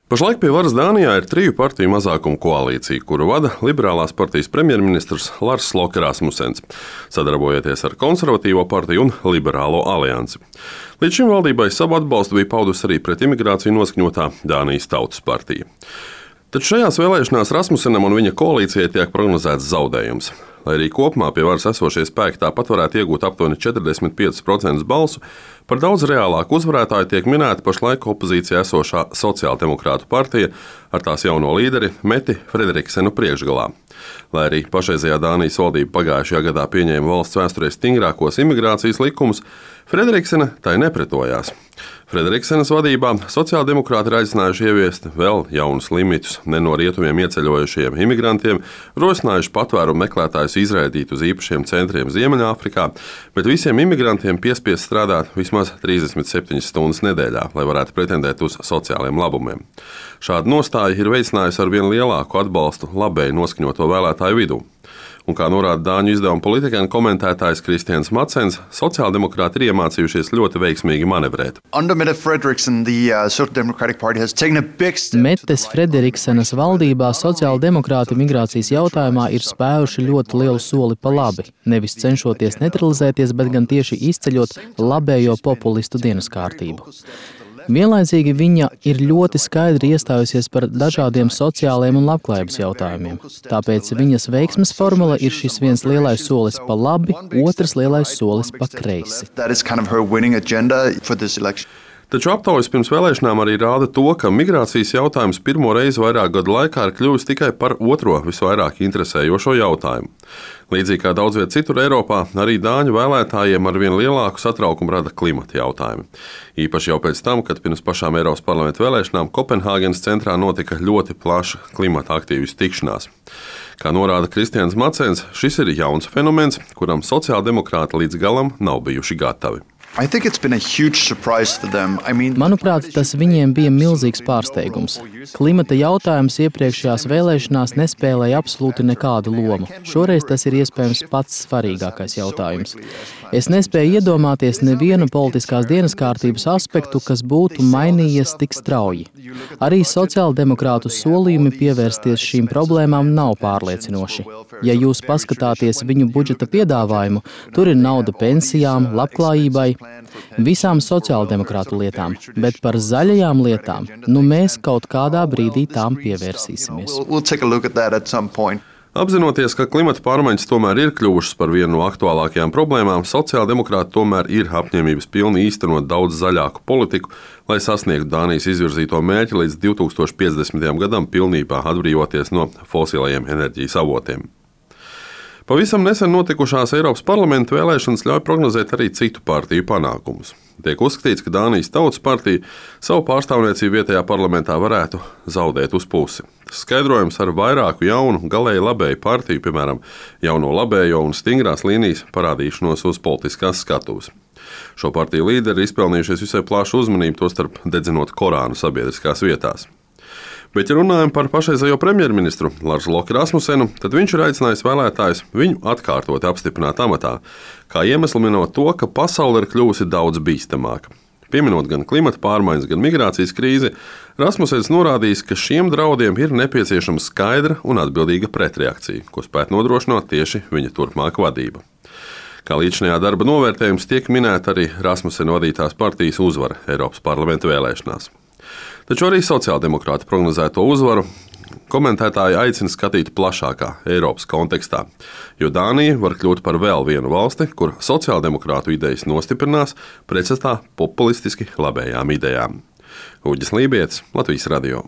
Pašlaik pie varas Dānijā ir 3 partiju mazākuma koalīcija, kuru vada liberālās partijas premjerministrs Lars Løkke Rasmussens, sadarbojoties ar konservatīvo partiju un liberālo aliansi. Līdz šim valdībai savu atbalstu bija paudusi arī pret imigrāciju noskaņotā Dānijas Tautas partija. Taču šajās vēlēšanās Rasmussenam un viņa koalīcijai tiek prognozēts zaudējums. Lai arī kopumā pie varas esošie spēki tāpat varētu iegūt aptuveni 45% balsu, par daudz reālāku uzvarētāju tiek minēta pašlaik opozīcijā esošā Sociāldemokrātu partija ar tās jauno līderi Meti Frederiksenu priekšgalā. Lai arī pašreizējā Dānijas valdība pagājušajā gadā pieņēma valsts vēsturē stingrākos imigrācijas likumus, Frederiksena tai nepretojās. Frederiksenas vadībā sociāldemokrāti ir aicinājuši ieviest vēl jaunus limitus ne no rietumiem ieceļojušajiem imigrantiem, rosinājuši patvērumu meklētājus izraidīt uz īpašiem centriem Ziemeļāfrikā, bet visiem imigrantiem piespiest strādāt vismaz 37 stundas nedēļā, lai varētu pretendēt uz sociāliem labumiem. Šāda nostāja ir veicinājusi ar vien lielāku atbalstu labēji noskaņoto vēlētāju vidū. Un, kā norāda dāņu izdevuma politikāna komentētājs Kristians Madsens, sociāldemokrāti ir iemācījušies ļoti veiksmīgi manevrēt. Metes Frederiksenas valdībā sociāldemokrāti migrācijas jautājumā ir spēruši ļoti lielu soli pa labi, nevis cenšoties neutralizēties, bet gan tieši izceļot labējo populistu dienas kārtību. Vienlaicīgi viņa ir ļoti skaidri iestājusies par dažādiem sociālajiem un labklājības jautājumiem. Tāpēc viņas veiksmes formula ir šis viens lielais solis pa labi, otrs lielais solis pa kreisi. Taču aptaujas pirms vēlēšanām arī rāda to, ka migrācijas jautājums pirmo reizi vairāk gadu laikā ir kļuvis tikai par otro visvairāk interesējošo jautājumu. Līdzīgi kā daudz viet citur Eiropā, arī dāņu vēlētājiem ar vien lielāku satraukumu rada klimata jautājumi. Īpaši jau pēc tam, kad pirms pašām Eiropas parlamenta vēlēšanām Kopenhāgenas centrā notika ļoti plaša klimata aktīvistu tikšanās. Kā norāda Kristians Madsens, šis ir jauns fenomens, kuram sociāldemokrāti līdz galam nav bijuši gatavi. Manuprāt, tas viņiem bija milzīgs pārsteigums. Klimata jautājums iepriekšējās vēlēšanās nespēlēja absolūti nekādu lomu. Šoreiz tas ir iespējams pats svarīgākais jautājums. Es nespēju iedomāties nevienu politiskās dienas kārtības aspektu, kas būtu mainījies tik strauji. Arī sociāldemokrātu solījumi pievērsties šīm problēmām nav pārliecinoši. Ja jūs paskatāties viņu budžeta piedāvājumu, tur ir nauda pensijām, labklājībai, visām sociāldemokrātu lietām, bet par zaļajām lietām, mēs kaut kādā brīdī tām pievērsīsimies. Apzinoties, ka klimata pārmaiņas tomēr ir kļuvušas par vienu no aktuālākajām problēmām, sociāldemokrāti tomēr ir apņēmības pilni īstenot daudz zaļāku politiku, lai sasniegtu Dānijas izvirzīto mērķi līdz 2050. gadam pilnībā atbrīvoties no fosilajiem enerģijas avotiem. Pavisam nesen notikušās Eiropas parlamenta vēlēšanas ļauj prognozēt arī citu partiju panākumus. Tiek uzskatīts, ka Dānijas Tautas partija savu pārstāvniecību vietējā parlamentā varētu zaudēt uz pusi. Skaidrojums ar vairāku jaunu, galēji labēju partiju, piemēram, jauno labējo un stingrās līnijas parādīšanos uz politiskās skatuves. Šo partiju līderi ir izpelnījušies visai plašu uzmanību, tostarp dedzinot Korānu sabiedriskās vietās. Bet, ja runājam par pašreizējo premjerministru Larsu Løkke Rasmussenu, tad viņš ir aicinājis vēlētājus viņu atkārtot apstiprināt amatā, kā iemeslu minot to, ka pasaule ir kļuvusi daudz bīstamāka. Pieminot gan klimata pārmaiņas, gan migrācijas krīzi, Rasmussens norādījis, ka šiem draudiem ir nepieciešama skaidra un atbildīga pretreakcija, ko spētu nodrošināt tieši viņa turpmāka vadība. Kā līdzinājā darba novērtējums tiek minēta arī Rasmussena vadītās partijas uzvara Eiropas parlamenta vēlēšanās. Taču arī sociāldemokrāti prognozēto uzvaru komentētāji aicina skatīt plašākā Eiropas kontekstā, jo Dānija var kļūt par vēl vienu valsti, kur sociāldemokrātu idejas nostiprinās pretstatā populistiski labējām idejām. Uģis Lībietis, Latvijas radio.